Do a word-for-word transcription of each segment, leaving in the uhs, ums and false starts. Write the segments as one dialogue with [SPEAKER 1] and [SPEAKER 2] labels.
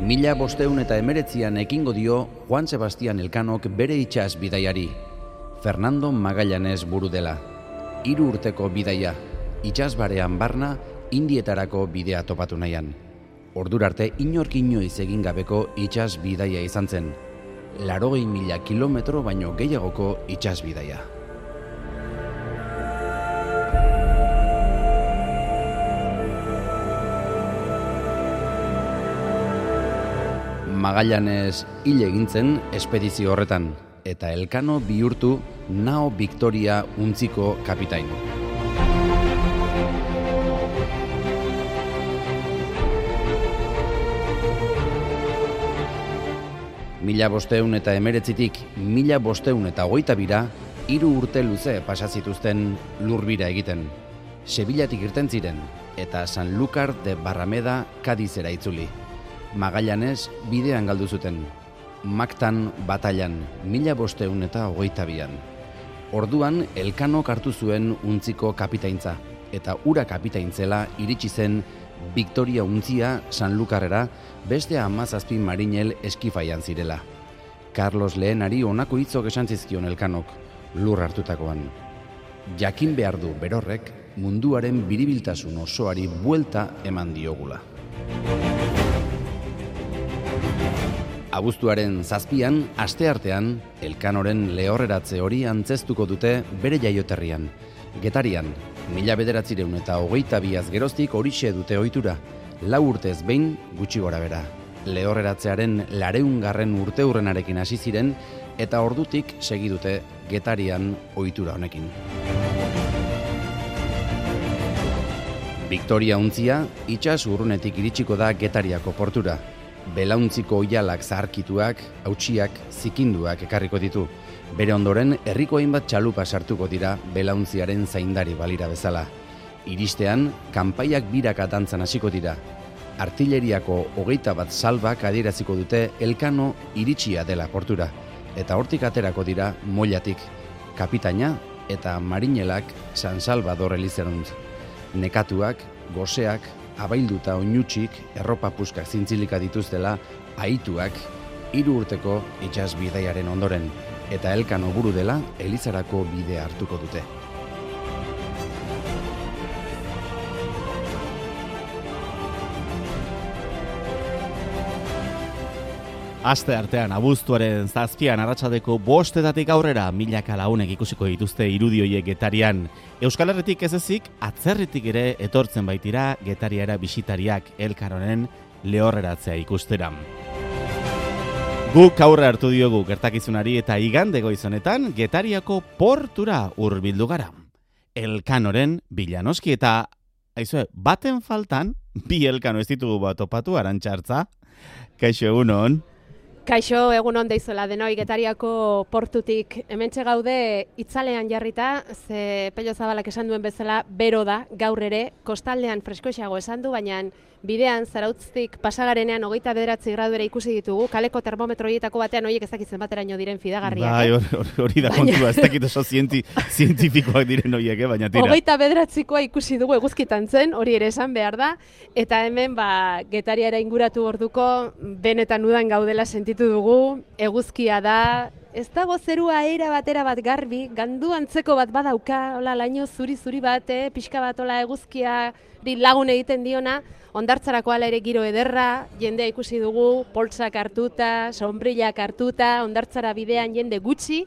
[SPEAKER 1] Mila bosteun eta emeretzian ekingo dio Juan Sebastian Elkanok bere itsas bidaiari. Fernando Magallanes buru dela. Hiru urteko bidaia, itsasbarean barna, Indietarako bidea topatu nahian. Ordurarte inork inoiz egin gabeko itsas bidaia izan zen. Laurogei mila kilometro baino gehiagoko itsas bidaia. Magallanes hil egin zen espedizio horretan, eta Elkano bihurtu Nao Victoria untziko kapitain. Mila bosteun eta emeretzitik mila bosteun eta hogeita bira, hiru urte luze pasazituzten lurbira egiten. Sevillatik irten ziren, eta Sanlúcar de Barrameda Kadizera itzuli. Magallanes bidean galdu zuten. Mactan batallan, mila bosteun eta hogeita bian. Orduan Elkanok hartu zuen untziko kapitaintza, eta ura kapitaintzela iritsi zen Victoria untzia Sanlúcarrera beste hamazazpi marinel eskifaian zirela. Carlos Lehenari honako hitzok esan zizkion Elkanok, lur hartutakoan. Jakin behar du berorrek munduaren biribiltasun osoari buelta eman diogula. Abuztuaren zazpian, asteartean, Elkanoren lehorreratze hori antzeztuko dute bere jaioterrian. Getarian, mila bederatzireun eta hogeita biaz geroztik horixe dute ohitura, lau urtez behin gutxi gora bera. Lehorreratzearen lareungarren urte hurrenarekin hasi ziren eta ordutik segi dute Getarian ohitura honekin. Victoria untzia itsas urrunetik iritsiko da Getariako portura. Belauntziko oihalak zaharkituak, hautsiak, zikinduak ekarriko ditu. Bere ondoren, herriko hainbat txalupa sartuko dira belauntziaren zaindari balira bezala. Iristean, kanpaiak biraka dantzan hasiko dira. Artilleriako hogeita bat salbak adieraziko dute Elkano iritsia dela portura. Eta hortik aterako dira mollatik, kapitaina eta marinelak San Salvador elizeruntz. Nekatuak, goseak, abailduta oinutsik, erropa puskak zintzilika dituztela, ahituak, hiru urteko itsas bidaiaren ondoren, eta Elkano buru dela elizarako bidea hartuko dute.
[SPEAKER 2] Aste artean, abuztuaren zazpian arratsaldeko bostetatik aurrera milaka lagunek ikusiko dituzte irudi horiek Getarian. Euskal Herritik ez ezik, atzerritik ere etortzen baitira Getariara bisitariak Elkanoren lehorreratzea ikustera. Guk aurre hartu diogu gertakizunari eta igande goizonetan Getariako portura hurbildu gara. Elkanoren bilanoski eta, aizue, baten faltan, bi Elkano ez ditugu bat topatu Arantxartza. Kaixo, egunon.
[SPEAKER 3] Kaixo, egun on deizola denoi Getariako portutik. Hementxe gaude itzalean jarrita, ze Pello Zabalak esan duen bezala bero da, gaur ere, kostaldean freskoixago esan du, baina bidean Zarautztik pasagarenean hogeita bederatzi gradu ere ikusi ditugu, kaleko termometro horietako batean horiek ez dakitzen bateraino diren fidagarriak.
[SPEAKER 2] Bai, hori, hori da kontua, ez dakit oso zienti, zientifikoak diren horiek, eh? Baina tira.
[SPEAKER 3] Hogeita bederatzikoa ikusi dugu eguzkitan zen, hori ere esan behar da, eta hemen ba, Getariara inguratu orduko benetan udan gaudela sentitu dugu, eguzkia da, ez dago zerua era batera bat garbi, gandu antzeko bat badauka, hola laino zuri-zuri bat, eh? Pixka bat hola eguzkia lagun egiten diona, hondartzarako ala ere giro ederra, jendea ikusi dugu, poltsak hartuta, sombrillak hartuta, hondartzara bidean jende gutxi,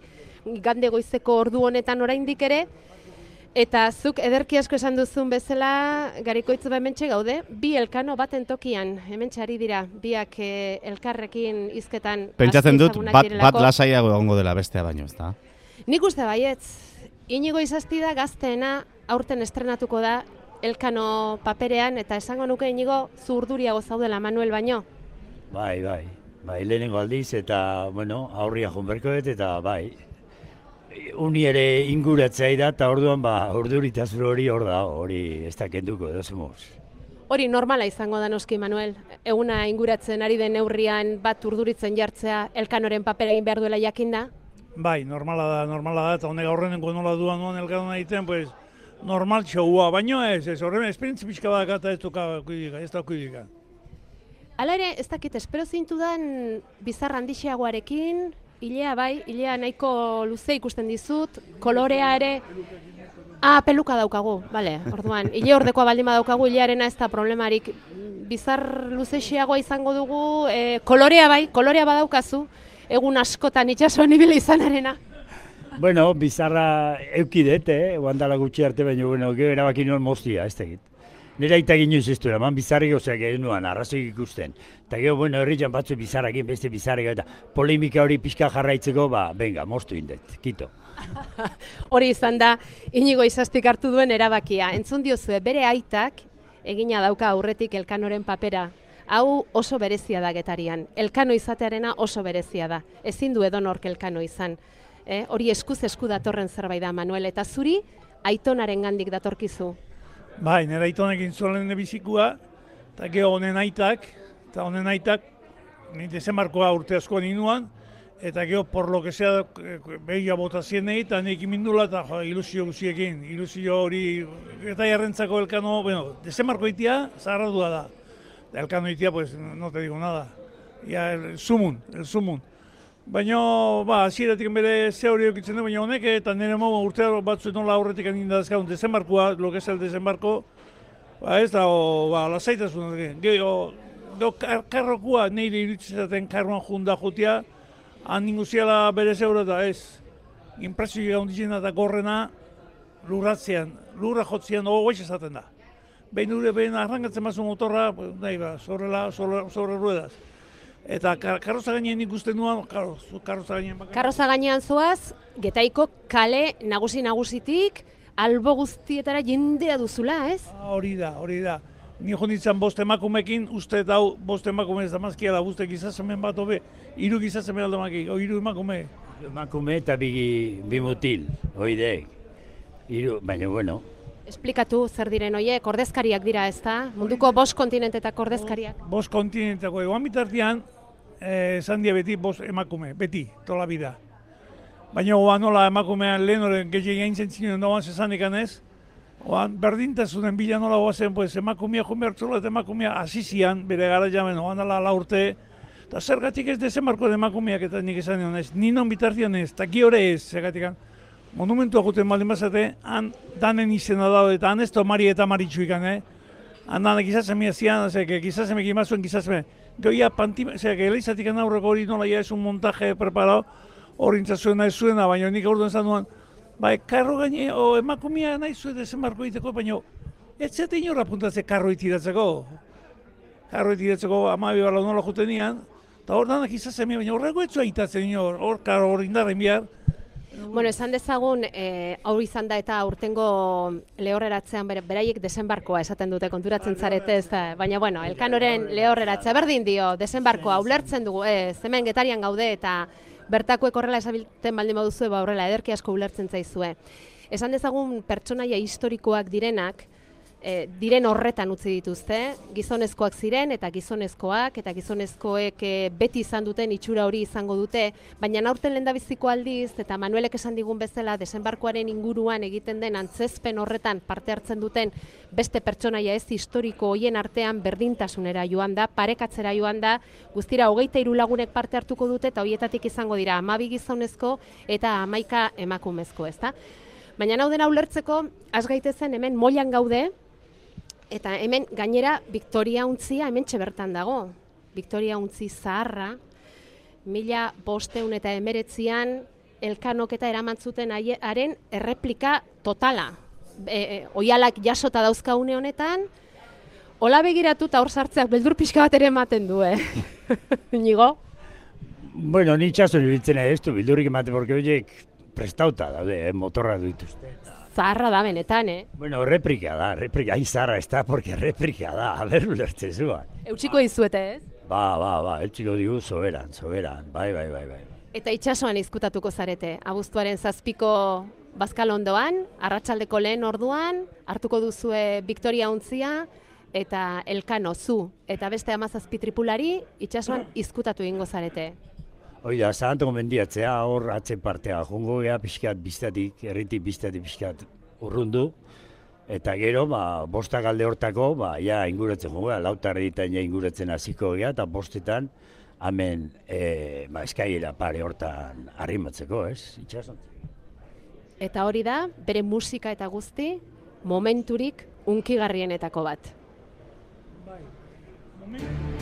[SPEAKER 3] igande goizeko ordu honetan oraindik ere, eta zuk ederki asko esan duzun bezala, Garikoitz hementxe gaude, bi Elkano baten tokian, hementxe ari dira, biak eh, elkarrekin hizketan.
[SPEAKER 2] Pentsatzen dut, bat, bat lasaiago egongo dela bestea baino, ez da?
[SPEAKER 3] Nik uste baietz, Inigo Izazpida gazteena aurten estrenatuko da Elkano paperean, eta esango nuke Inigo zu urduriago zaudela Manuel baino.
[SPEAKER 4] Bai, bai, bai, lehenengo aldiz, eta, bueno, aurria jonberkoet, eta bai, uni ere inguratzea da, eta orduan, ba, urduritazur hori hor da, hori ez da kenduko, edo zemuz.
[SPEAKER 3] Hori normala izango da noski, Manuel. Eguna inguratzen ari den neurrian bat urduritzen jartzea Elkanoren papera egin behar duela jakinda?
[SPEAKER 5] Bai, normala da, normala da, eta honek aurrenengo nola duan duan Elkano egiten, pues, normal txaua, baino ez, ez horren esperientzi pixka badaka eta ez duka kuidika, ez da kuidika.
[SPEAKER 3] Hala ere, ez dakit, espero zintudan bizar handixeagoarekin, hilea bai, hilea nahiko luze ikusten dizut, kolorea ere... Ah, peluka daukagu, bale, orduan. Hile ordekoa baldin badaukagu, hilearena ez da problemarik. Bizar luzexeagoa izango dugu, e, kolorea bai, kolorea badaukazu, egun askotan itxasuan ibili izanarena.
[SPEAKER 4] Bueno, bizarra eukidet, eh? Oandala gutxi arte, baina, bueno, gero erabaki nuen moztia, ez tegit. Nera itak inoiz ez duela, man bizarrik ozeak egin nuan, arrazoik ikusten. Eta gero, bueno, herritan batzu bizarrakin, beste bizarrik, eta polemika hori pixka jarraitzeko, ba, venga, moztu indet, kito.
[SPEAKER 3] Hori izan da, Inigo Izastik hartu duen erabakia. Entzun diozue, bere aitak egina dauka aurretik Elkanoren papera. Hau oso berezia da Getarian. Elkano izatearena oso berezia da. Ezin du edonork Elkano izan. Eh? Hori eskuz esku datorren zerbait da, Manuel. Eta zuri, aitonaren gandik datorkizu.
[SPEAKER 5] Bai, nire aitonekin zuen bizikua, eta gero honen aitak, eta honen aitak, ni dezenbarkoa urte askoan inuan, eta gero, por lo que sea, behia bota zienei, eta nik imindula, eta jo, ilusio guziekin, ilusio hori, eta jarrentzako Elkano, bueno, dezenbarko itia, zaharradua da. Elkano itia, pues, no te digo nada. Ya, el sumun, el sumun. Baina, ba, hasieratik bere ze hori okitzen du, baina honek, eta nire mogu urte batzuen nola aurretik aninda dazkaun, dezenbarkoa, lo que es el dezenbarko, ba, ez da, o, ba, lasaitasun, gero, gero, karrokua, nire irutzizaten karroan junda jutia, han ninguziala bere zeura eta ez. Impresio gaunditzen eta gorrena lurratzean, lurra jotzean, ogoiz esaten da. Behin dure, behin arrangatzen mazu motorra, nahi ba, sobrela, sobre, sobre ruedas. Eta karroza gainean ikusten duan, karroza gainean bakarrik.
[SPEAKER 3] Karroza gainean zoaz, Getaiko kale nagusi nagusitik, albo guztietara jendea duzula, ez?
[SPEAKER 5] Hori da, hori da. Ni jo nintzen bost emakumekin, uste eta hau bost emakume ez damazkia da, uste gizazemen bat hobe, hiru gizazemen aldamakik, o hiru emakume.
[SPEAKER 4] Emakume eta bi, bi mutil, oidek. Hiru, baina, bueno.
[SPEAKER 3] Esplikatu zer diren hoiek, ordezkariak dira, ez da? Munduko bost kontinentetako ordezkariak.
[SPEAKER 5] Bost kontinentetako, egoan bitartean, esan dia beti bost emakume, beti, tola bida. Baina, oan nola emakumean lehen horren gehiagin aintzen zinen doan zezanik anez, oan berdintasunen bila nola oazen, pues, emakumea jumertzula eta emakumea azizian, bere gara jamen, oan dala la urte, eta zergatik ez dezenbarko de emakumeak eta nik esan nion ez, ninon bitartean ez, eta giore ez, zergatik. Monumentua juten baldin bazate, han danen izena dago, eta han ez to Mari eta Maritxuikan, eh? Han danek gizazemia zian, zeke, gizazemek imazuen gizazeme. Goia pantima, zeke, eleizatik aurreko hori nola ja ez un montaje preparado, hori intzazuena ez zuena, baina nik aurduan zan duan, bai, karro gaine, o emakumia nahi zuen dezenbarko egiteko, baina ez zete inorra puntatze karro itiratzeko. Karro itiratzeko amabi bala nola juten nian, eta hor danak gizazemia, baina horreko ez zua itatzen inor, hor karro hori indarren bihar.
[SPEAKER 3] Bueno, esan dezagun, e, hau izan da eta urtengo lehorreratzean bere, beraiek dezenbarkoa esaten dute konturatzen zarete, ez da, baina bueno, Elkanoren lehorreratzea berdin dio, dezenbarkoa ulertzen dugu, ez, hemen Getarian gaude eta bertakoek horrela esabilten baldin baduzue, ba horrela ederki asko ulertzen zaizue. Esan dezagun pertsonaia historikoak direnak, E, diren horretan utzi dituzte, gizonezkoak ziren eta gizonezkoak eta gizonezkoek e, beti izan duten itxura hori izango dute, baina aurten lehendabiziko aldiz eta Manuelek esan digun bezala desenbarkoaren inguruan egiten den antzezpen horretan parte hartzen duten beste pertsonaia ez historiko hoien artean berdintasunera joan da, parekatzera joan da, guztira hogeita hiru lagunek parte hartuko dute eta hoietatik izango dira hamabi gizonezko eta hamaika emakumezko, ezta? Baina hau dena ulertzeko, has gaitezen hemen moilan gaude, eta hemen gainera Victoria Untzia hemen bertan dago. Victoria Untzi zaharra, mila bosteun eta emeretzian Elkanok eta eraman zuten haren erreplika totala. E, e, oialak jasota dauzka une honetan, hola begiratu eta hor sartzeak beldur pixka bat ere ematen du, eh? Inigo?
[SPEAKER 4] Bueno, ni txasun ibiltzen ez du, bildurrik ematen, porque horiek prestauta daude, eh, motorra dituzte.
[SPEAKER 3] Zaharra da benetan, eh?
[SPEAKER 4] Bueno, replika da, replika, ai zaharra ez da, porque replika da, a ber ulertzen zuan.
[SPEAKER 3] Eutxiko dizuete, ez?
[SPEAKER 4] Ba, ba, ba, eutxiko digu soberan, soberan, bai, bai, bai, bai.
[SPEAKER 3] Eta itsasoan izkutatuko zarete, abuztuaren zazpiko Bazkalondoan, arratsaldeko lehen orduan, hartuko duzue Victoria Untzia, eta Elkano zu, eta beste hamazazpi tripulari itsasoan izkutatu egingo zarete.
[SPEAKER 4] Oida, zahantako mendiatzea, hor atzen partea, jongo gea pixkat biztatik, erritik biztatik pixkat urrundu, Eta gero, ba, bostak alde hortako, ba, ja inguratzen goga, lautar editan ja inguratzen hasiko gea, eta bostetan, hemen, e, ba, eskaiera pare hortan arrimatzeko, ez? Itxasontzeko.
[SPEAKER 3] Eta hori da, bere musika eta guzti, momenturik unkigarrienetako bat.
[SPEAKER 5] Bai, momentu.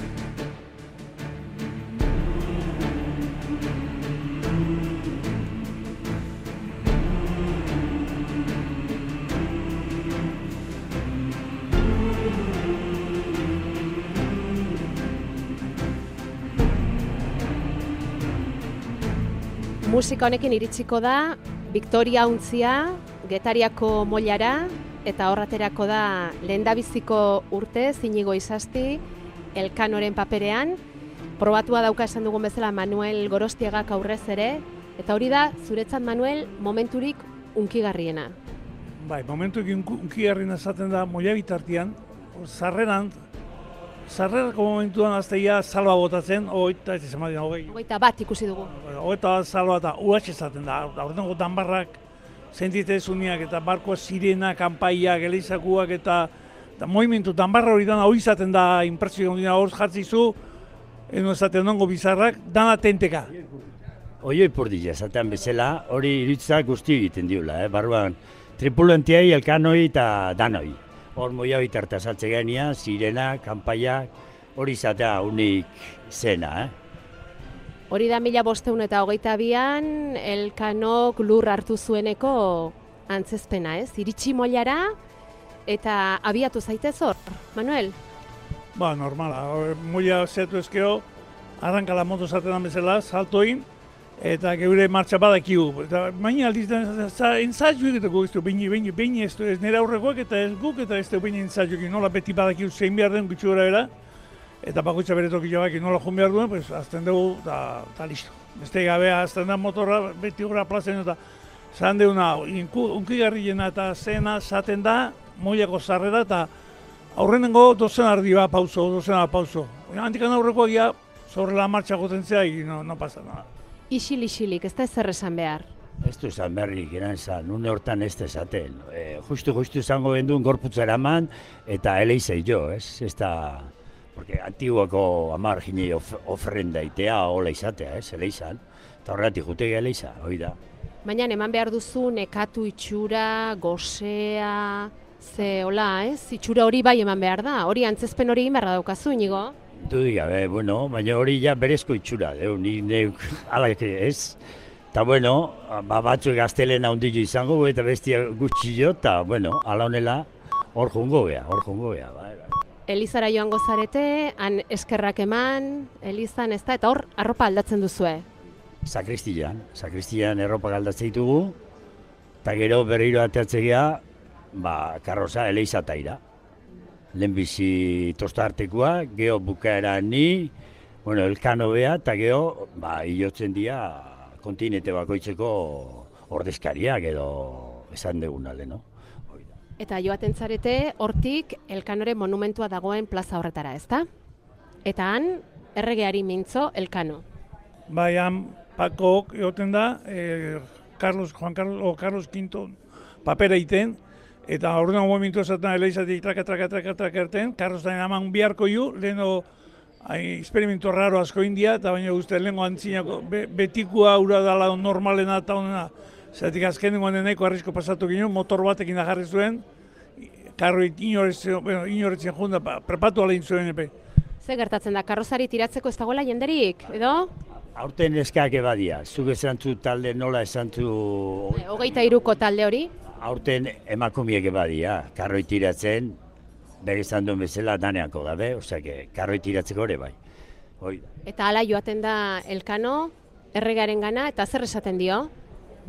[SPEAKER 3] Musika honekin iritsiko da Victoria Untzia, Getariako Moilara, eta horraterako da lehendabiziko urtez Inigo Izasti, Elkanoren paperean. Probatua dauka esan dugun bezala Manuel Gorostiagak aurrez ere, eta hori da, zuretzat Manuel, momenturik unkigarriena.
[SPEAKER 5] Bai, momenturik unkigarriena esaten da Moia bitartian, sarreran, sarrerako momentuan azteia salba botatzen, ogeita, ez izan badien, hogei.
[SPEAKER 3] Ogeita bat ikusi dugu.
[SPEAKER 5] Ogeita bat salba eta uatxe esaten da, aurtengo danbarrak, sentitezuniak eta barkoa sirena, kanpaiak, eleizakuak eta, eta movimentu danbarra hori dana hori izaten da impresio gondina hor jartzizu, eno esaten dongo bizarrak, dana tenteka.
[SPEAKER 4] Oioi purdila esaten bezala, hori iritzak guzti egiten diula, eh? Barruan tripulantiai, elkanoi eta danoi. Hor moia bitarta saltze genia, sirena, kanpaiak, hori izatea unik zena, eh?
[SPEAKER 3] Hori da mila bosteun eta hogeita bian, Elkanok lur hartu zueneko antzezpena, ez? Iritsi Moilara eta abiatu zaitez hor, Manuel?
[SPEAKER 5] Ba, normala, Moia zetu ezkeo, arrankala moto zaten bezala, saltoin, eta geure martxa badakigu. Eta baina aldiz, ensaiu egiteko ez du, baina, baina, baina ez du, ez nire aurrekoak eta ez guk eta ez du baina ensaiu egin, nola beti badakigu zein behar den gutxi gora era, eta bakoitza bere tokila baki nola joan behar duen, pues, azten dugu, eta listo. Beste gabe, azten da motorra, beti gora plazen, eta zan deuna, unkigarriena eta zena zaten da, Moiako sarrera, eta aurrenengo dozen ardi bat pauso, dozen bat pauso. Antikan aurrekoak ja, sobre la marcha gotentzea, no, no pasa nada.
[SPEAKER 3] Isil-isilik, ez da ezer esan behar.
[SPEAKER 4] Ez du esan berrik, eran esan, une hortan ez da esaten. E, justu-justu izango benduen gorputza eraman, eta eleizei jo, ez? Ez da, porque antiguako amar gine of, ofrenda itea, hola izatea, ez? Eleizan, eta horretik jutegi eleiza, hoi da.
[SPEAKER 3] Baina eman behar duzu nekatu itxura, gozea, ze, hola, ez? Itxura hori bai eman behar da, hori antzezpen hori egin beharra daukazu, Inigo?
[SPEAKER 4] Dudik gabe, bueno, baina hori ja berezko itxura, deu, ni neuk alak ez. Eta bueno, ba, batzuek gaztelena ondillo izango, eta bestia gutxi jo, eta bueno, ala honela hor jongo gea, hor jongo gea. Ba, ba.
[SPEAKER 3] Elizara joango zarete, han eskerrak eman, Elizan ez da, eta hor arropa aldatzen duzue.
[SPEAKER 4] Sakristian, sakristian erropak aldatzen ditugu, eta gero berriro ateatzea, ba, karroza eleiza taira. Lehenbizi tosta artekoa, geho bukaera ni, bueno, Elkano bea, eta geho, ba, hilotzen dira kontinente bakoitzeko ordezkariak edo esan degunale, no?
[SPEAKER 3] Eta joaten zarete, hortik Elkanoren monumentua dagoen plaza horretara, ezta? Eta han, erregeari mintzo Elkano.
[SPEAKER 5] Bai, han, Pakok egoten da, eh, Carlos, Juan Carlos, o Carlos Quinto papera iten, eta orduan momentu esaten eleizatik traka, traka, traka, traka erten, Carlosaren aman biharko ju, leheno experimento raro asko india, eta baina guzti lehenko antzinako be, betikua ura dala normalena eta honena. Zeratik azkenengo nahiko arrisko pasatu ginen, motor batekin da jarri zuen, karroit inoretzen, bueno, inoretzen junda, prepatu alein zuen epe.
[SPEAKER 3] Ze gertatzen da, karrozari tiratzeko ez dagoela jenderik, edo?
[SPEAKER 4] Aurten eskak ebadia, zuk esan zu talde nola esan zu...
[SPEAKER 3] Hogeita hiruko talde hori?
[SPEAKER 4] Aurten emakumiek ebadia, karroi tiratzen, bere izan duen bezala daneako gabe, osea, karroi tiratzeko ere bai. Hoi.
[SPEAKER 3] Eta hala joaten da Elkano, erregaren gana, eta zer esaten dio?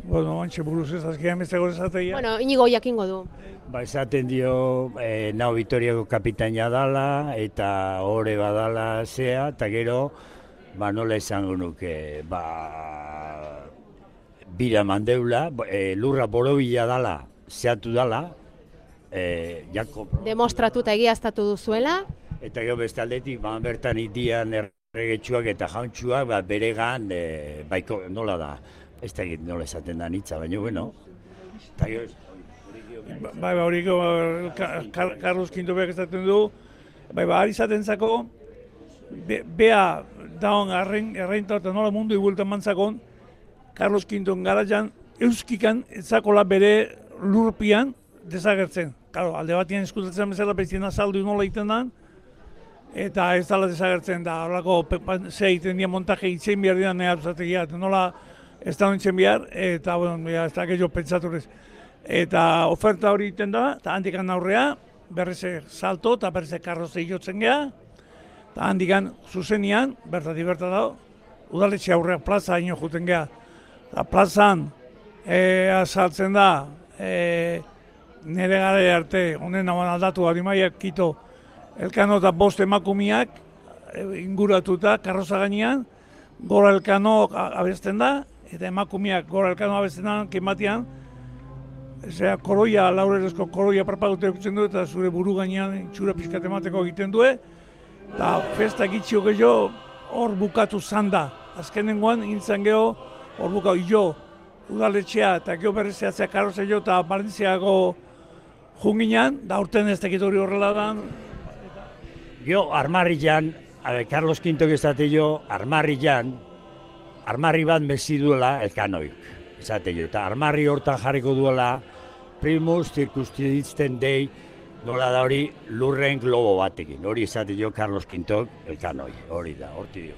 [SPEAKER 5] Bueno, antxe buruz ez azkean bezego esateia.
[SPEAKER 3] Bueno, Inigo jakingo du.
[SPEAKER 4] Ba, esaten dio, e, nao Vitoriako kapitaina dala, eta ore badala zea, eta gero, ba, nola esango nuke, ba, bira mandeula, e, lurra borobila dala, zehatu dala, e, jako...
[SPEAKER 3] Demostratu eta egiaztatu duzuela.
[SPEAKER 4] Eta gero beste aldetik, ba, bertan itian erregetxuak eta jauntxuak, ba, beregan, e, baiko, nola da, ez da egit nola esaten da nitza, baina, bueno, eta gero...
[SPEAKER 5] bai, bai, hori Carlos Kintobeak ezaten du, bai, bai, ari zaten zako, be, bea daun erreinta eta nola mundu igueltan mantzakon, Carlos Kinton garaian euskikan etzakola bere lurpian desagertzen. Claro, alde batien eskutatzen bezala bezien azaldu nola egiten da, eta ez dala desagertzen da, horako ze egiten dira montaje itzen behar dira nahi azategia, nola ez da nintzen behar, eta bueno, ya, ez da gehiago pentsaturez. Eta oferta hori egiten da, eta handikan aurrea, berriz salto eta berriz karroze jotzen geha, eta handikan zuzenian, bertatik berta dago, udaletxe aurrea plaza haino juten geha. Eta plazan e, azaltzen da, e, nire gara arte, honen nagoan aldatu harimaiak kito, Elkano eta bost emakumiak e, inguratuta karroza gainean, gora Elkano abesten da, eta emakumiak gora Elkano abesten da, kematian, Zera, koroia, laurerezko koroia parpadute ekutzen du, eta zure buru gainean itxura pixkat emateko egiten du, eta festa gitxio gehiago hor bukatu zanda. Azkenengoan, intzan geho, hor bukatu jo, udaletxea, eta geho berrizeatzea karroze jo, eta barentziago junginan, da urten ez tekit hori horrela da.
[SPEAKER 4] Geho, armarrian, Carlos Kintok ezate jo, armarrian, armarri bat mezi duela Elkanoik. Esate jo, eta armarri hortan jarriko duela primus circunstisten dei, nola da hori lurren globo batekin. Hori esate jo Carlos Kintok Elkanoi, hori da, horti dio.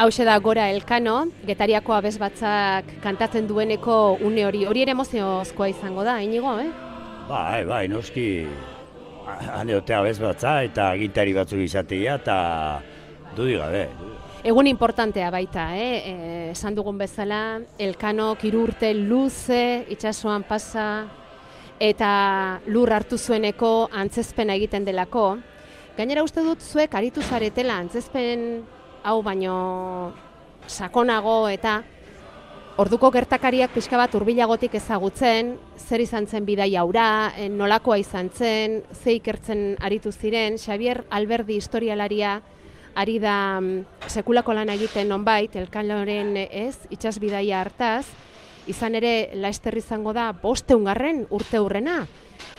[SPEAKER 3] Hauxe da Gora Elkano, Getariako abez batzak kantatzen dueneko une hori. Hori ere emoziozkoa izango da, Inigo, eh?
[SPEAKER 4] Bai, bai, noski, haneotea abez batza eta gitari batzuk izatea eta dudik gabe.
[SPEAKER 3] Egun importantea baita, eh? Esan dugun bezala, Elkano hiru urte luze, itsasoan pasa, eta lur hartu zueneko antzezpena egiten delako. Gainera uste dut zuek aritu zaretela antzezpen hau baino sakonago eta orduko gertakariak pixka bat hurbilagotik ezagutzen, zer izan zen bidaia hura, nolakoa izan zen, ze ikertzen aritu ziren. Xabier Alberdi historialaria ari da sekulako lan egiten nonbait, Elkanoren ez, itsas bidaia hartaz, izan ere Laster izango da bosteungarren urte hurrena.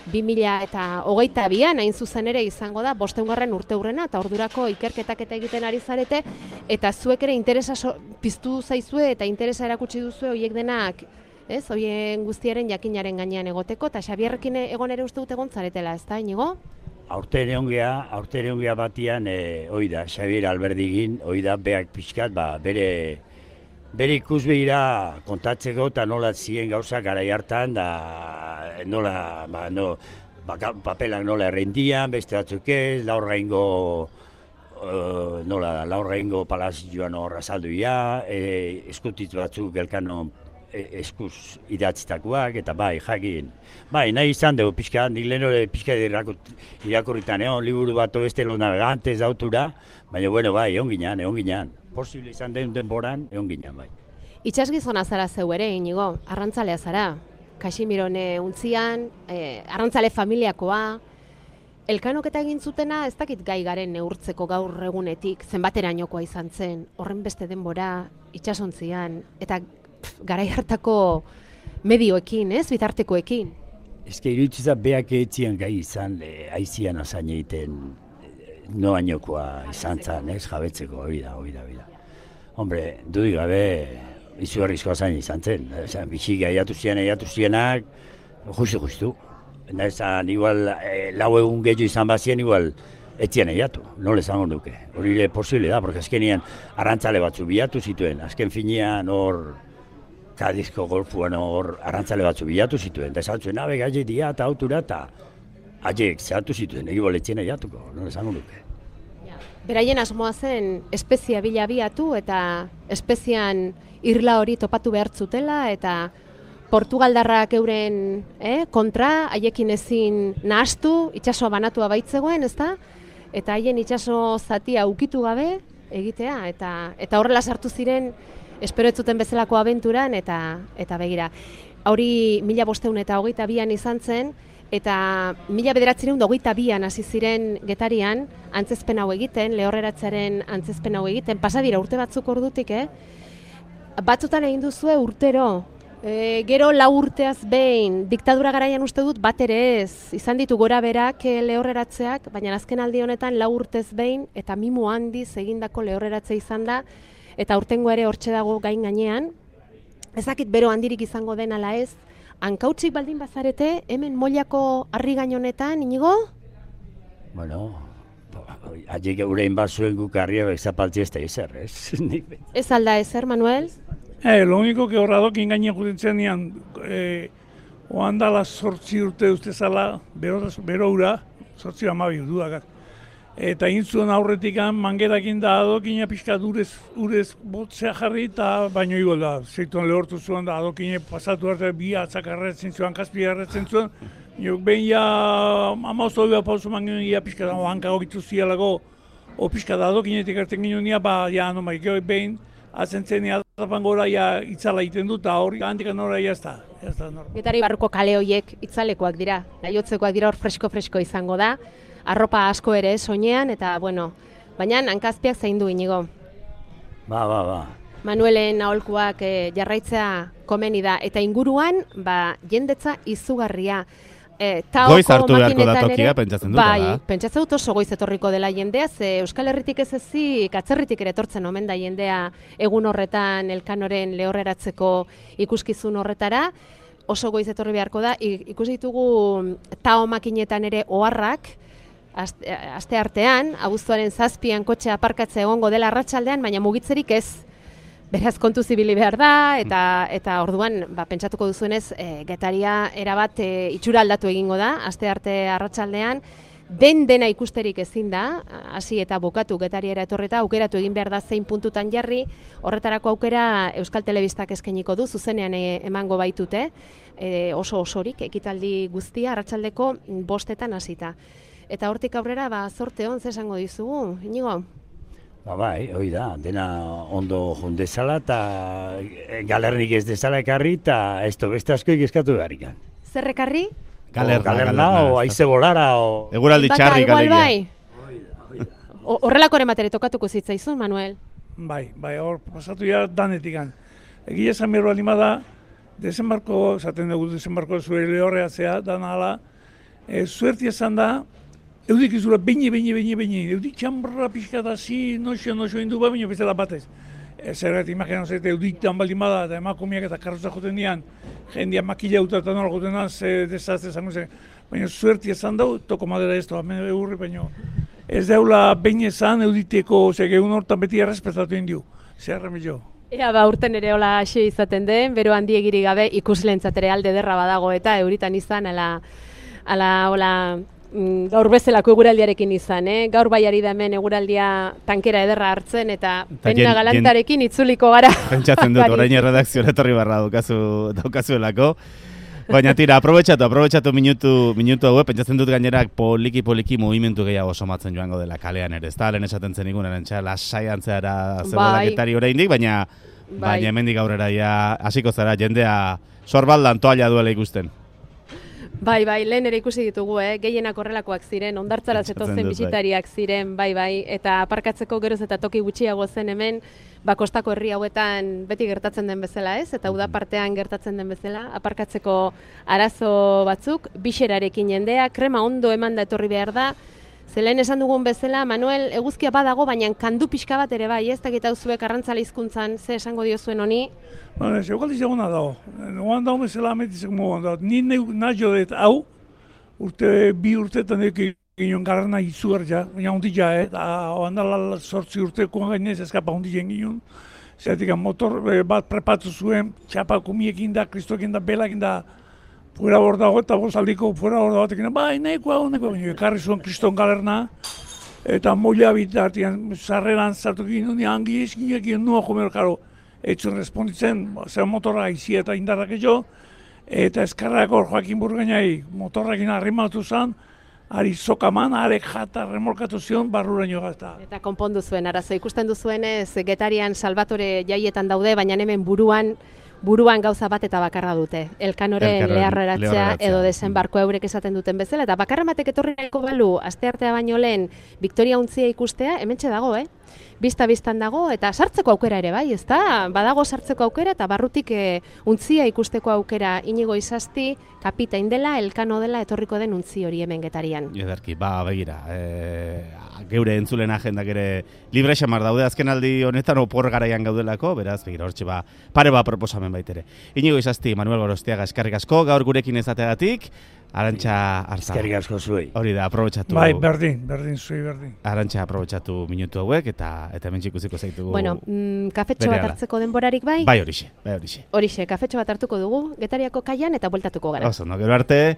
[SPEAKER 3] bi mila hogeita bian hain zuzen ere izango da bosteungarren urte hurrena, eta ordurako ikerketak eta egiten ari zarete, eta zuek ere interesa so, piztu zaizue eta interesa erakutsi duzue horiek denak, ez, horien guztiaren jakinaren gainean egoteko, eta Xabierrekin egon ere uste dut egon zaretela, ez da, Inigo?
[SPEAKER 4] Aurten egon geha, aurten egon geha batian, e, hoi da, Xabier Alberdigin, hoi da, beak pixkat, ba, bere, bere ikusbegira kontatzeko eta nola ziren gauzak garai hartan, da nola, ba, no, ba, papelak nola errendian, beste batzuk ez, laurraingo, uh, nola da, laurraingo palazioan horra salduia, e, eskutitz batzuk Elkano e, eskuz idatzitakoak, eta bai, jakin. Bai, nahi izan dugu pixka, nik lehen hori pixka irakurritan egon, liburu bat beste los navegantes dautura, baina, bueno, bai, egon ginean, egon ginean. Posible izan den denboran, egon ginean, bai.
[SPEAKER 3] Itxasgizona zara zeu ere, Inigo, arrantzalea zara. Kaximirone untzian, eh, arrantzale familiakoa, Elkanok eta egin zutena ez dakit gai garen neurtzeko gaur egunetik, zenbaterainokoa izan zen, horren beste denbora, itxasontzian, eta pff, garai hartako medioekin, ez, bitartekoekin.
[SPEAKER 4] Ez que iruditza beak etzian gai izan, e, aizian azain egiten, e, noainokoa izan zen, ez, jabetzeko, hori da, hori da, hori da. Hombre, dudik gabe, izugarrizko azain izan zen, esan, bixik aiatu zian, aiatu zianak, justu-justu. Ezan, igual, e, lau egun gehiago izan bazien, igual, etzian aiatu, nola esango duke. Hori ere posible da, porque azkenian arrantzale batzu bilatu zituen, azken finean hor, Kadizko golfuan hor arrantzale batzu bilatu zituen, eta esan zuen, abe, gaile dia eta autura, eta haiek zehatu zituen, egi boletzen aiatuko, nola esango duke.
[SPEAKER 3] Beraien asmoa zen espezia bila biatu eta espezian irla hori topatu behar zutela eta Portugaldarrak euren eh, kontra, haiekin ezin nahastu, itsasoa banatua baitzegoen, ezta? Eta haien itsaso zatia ukitu gabe egitea eta eta horrela sartu ziren espero ez zuten bezalako abenturan eta eta begira. Hori mila bostehun eta hogeita bian izan zen, eta mila bederatziehun eta hogeita bian hasi ziren Getarian antzezpen hau egiten, lehorreratzearen antzezpen hau egiten, pasa dira urte batzuk ordutik, eh? Batzutan egin duzue urtero, e, gero lau urteaz behin, diktadura garaian uste dut bat ere ez, izan ditu gora berak e, lehorreratzeak, baina azken aldi honetan lau urtez behin, eta mimo handiz egindako lehorreratze izan da, eta urtengo ere hortxe dago gain gainean, ezakit bero handirik izango den ala ez, hankautsik baldin bazarete, hemen Mollako harri gain honetan, Inigo?
[SPEAKER 4] Bueno, haiek eurein bat zuen guk harria bezapaltzi ez da ezer, ez?
[SPEAKER 3] Ez alda ezer, Manuel?
[SPEAKER 5] Eh, lo único que horradokin gainean juten nian, eh, oan dala sortzi urte uste zala, bero, bero ura, sortzi amabi ududakak. Eta intzuen aurretik mangerakin da adokina pixka urez, urez botzea jarri eta baino igo da. Zeituan lehortu zuen da adokine pasatu arte bi atzak arretzen zuen, kaspi arretzen zuen. Jok behin ja amauz hori bat pauzu mangenu ia pixka da hanka hogitu zialago o pixka da adokinetik erten ginen nia, ba, ja, no maik, behin azentzen atrapan gora ja itzala egiten dut, eta hori handikan nora jazta.
[SPEAKER 3] Getari barruko kale horiek itzalekoak dira, laiotzekoak dira hor fresko-fresko izango da. Arropa asko ere soinean eta, bueno, baina hankazpiak zaindu Inigo.
[SPEAKER 4] Ba, ba, ba.
[SPEAKER 3] Manuelen aholkuak e, jarraitzea komeni da, eta inguruan, ba, jendetza izugarria. E,
[SPEAKER 2] goiz hartu beharko da tokia, pentsatzen dut,
[SPEAKER 3] bai,
[SPEAKER 2] da?
[SPEAKER 3] Pentsatzen dut oso goiz etorriko dela jendea, ze Euskal Herritik ez ezik, atzerritik ere etortzen omen da jendea egun horretan Elkanoren lehorreratzeko ikuskizun horretara, oso goiz etorri beharko da, ikusi ditugu tao makinetan ere oharrak, Aste, aste artean, abuztuaren zazpian kotxe aparkatze egongo dela arratsaldean, baina mugitzerik ez. Beraz kontu zibili behar da, eta eta orduan ba, pentsatuko duzuenez, e, Getaria erabat e, itxura aldatu egingo da, aste arte arratsaldean, den dena ikusterik ezin da, hasi eta bukatu Getariera etorreta, aukeratu egin behar da zein puntutan jarri, horretarako aukera Euskal Telebistak eskainiko du, zuzenean e, emango baitute, e, oso osorik, ekitaldi guztia, arratsaldeko bostetan hasita. Eta hortik aurrera, ba, zorte hon, zesango dizugu, Inigo?
[SPEAKER 4] Ba, bai, hoi da, dena ondo jundezala eta galernik ez dezala ekarri eta ez to beste askoik eskatu beharrik.
[SPEAKER 3] Zer ekarri?
[SPEAKER 4] Galerna, galerna, o aize bolara, o...
[SPEAKER 2] Eguraldi txarrik alegia.
[SPEAKER 3] Bai. Horrelako ematere tokatuko zitzaizun, Manuel?
[SPEAKER 5] Bai, bai, hor pasatu ja danetikan. Egia esan berro alima da, desembarko, zaten dugu desembarko zure lehorreatzea, dana ala, e, suerti esan da, eudik izura beini, beini, beini, beini, eudik txambarra pixka da zi, noxo, noxo indu ba, baina bezala batez. Zerret, imaginatzen zaite, eudik dan baldin bada, eta emakumiak eta karroza joten dian, jendia makila uta eta nola joten dian, ze desazte zango zen. Baina suerti esan dau, toko madera ez, toa mene eurri, baina ez daula behin esan euditeko, ze geun hortan beti errespetatu indiu, zer remillo.
[SPEAKER 3] Ea, ba, urten ere hola hasi izaten den, bero handiegiri gabe ikuslentzat ere alde derra badago eta euritan izan, ala, ala, hola, gaur bezalako eguraldiarekin izan, eh? Gaur bai ari da hemen eguraldia tankera ederra hartzen eta penna galantarekin itzuliko gara.
[SPEAKER 2] Pentsatzen dut, orain erredakzioa etorri barra daukazu, daukazuelako. Baina tira, aprobetxatu, aprobetxatu minutu, minutu hau, pentsatzen dut gainerak poliki-poliki movimentu gehiago somatzen joango dela kalean ere. Ez da, lehen esaten zen ikunen, entxa, lasai antzeara zegoela
[SPEAKER 3] bai.
[SPEAKER 2] Getari oraindik, baina,
[SPEAKER 3] bai.
[SPEAKER 2] baina hemendik aurrera ja hasiko zara jendea sorbaldan toalla duela ikusten.
[SPEAKER 3] Bai, bai, lehen ere ikusi ditugu, eh? Gehienak horrelakoak ziren, ondartzara zetozen bisitariak ziren, bai, bai, eta aparkatzeko geroz eta toki gutxiago zen hemen, ba, kostako herri hauetan beti gertatzen den bezala, ez? Eta uda partean gertatzen den bezala, aparkatzeko arazo batzuk, bixerarekin jendea, krema ondo eman da etorri behar da, zelen esan dugun bezala, Manuel, eguzkia badago, baina kandu pixka bat ere bai, ez? Eta zuek arrantzale hizkuntzan ze esango diozuen honi?
[SPEAKER 5] Bueno, ez eukal izaguna dago. Oan dago bezala ametitzek moguan dago. Ni nahi dut hau, urte, bi urteetan eki ginen garrana izugar ja, baina hondi ja, eh? Oan dala sortzi urteko gainez eskapa hondi jen ginen. Zeratik, motor bat prepatu zuen, txapa kumiekin da, kristoekin da, belakin da, fuera hor dago eta bozaldiko fuera hor dago, bai, nahiko hau, nahiko hau, ekarri zuen kriston galerna, eta moila bitartian, sarreran zartu ginen, hangi eskinekin nua jomer, karo, etxun responditzen, zer motorra izi eta indarrak ezo, eta eskarrako Joakin Burgainai motorrakin arrimatu zen, ari sokaman, arek jata remolkatu zion barruraino gazta.
[SPEAKER 3] Eta konpondu zuen, arazo ikusten duzuenez, Getarian Salvatore jaietan daude, baina hemen buruan buruan gauza bat eta bakarra dute. Elkanoren leharreratzea edo desenbarko eurek esaten duten bezala, eta bakarra batek etorri nahiko balu, asteartea baino lehen, Victoria untzia ikustea, hementxe dago, eh? Bista-bistan dago, eta sartzeko aukera ere bai, ezta? Badago sartzeko aukera, eta barrutik e, untzia ikusteko aukera Inigo Izasti, kapitain dela, Elkano dela, etorriko den untzi hori hemen Getarian.
[SPEAKER 2] Ederki, ba, begira, e, geure entzulen agendak ere libre xamar daude azken aldi honetan opor garaian gaudelako, beraz, begira, hortxe ba, pare ba proposamen baitere. Inigo Izasti, Manuel Gorostiaga, eskerrik asko, gaur gurekin ezategatik, Arantxa Arza.
[SPEAKER 4] Eskerrik asko zuei.
[SPEAKER 2] Hori da, aprobetxatu.
[SPEAKER 5] Bai, berdin, berdin, zuei berdin.
[SPEAKER 2] Arantxa aprobetxatu minutu hauek, eta eta hemen ikusiko zaitugu.
[SPEAKER 3] Bueno, mm, kafetxo bat hartzeko denborarik bai?
[SPEAKER 2] Bai horixe, bai horixe.
[SPEAKER 3] Horixe, kafetxo bat hartuko dugu, Getariako kaian eta bueltatuko gara.
[SPEAKER 2] Oso, no, gero arte.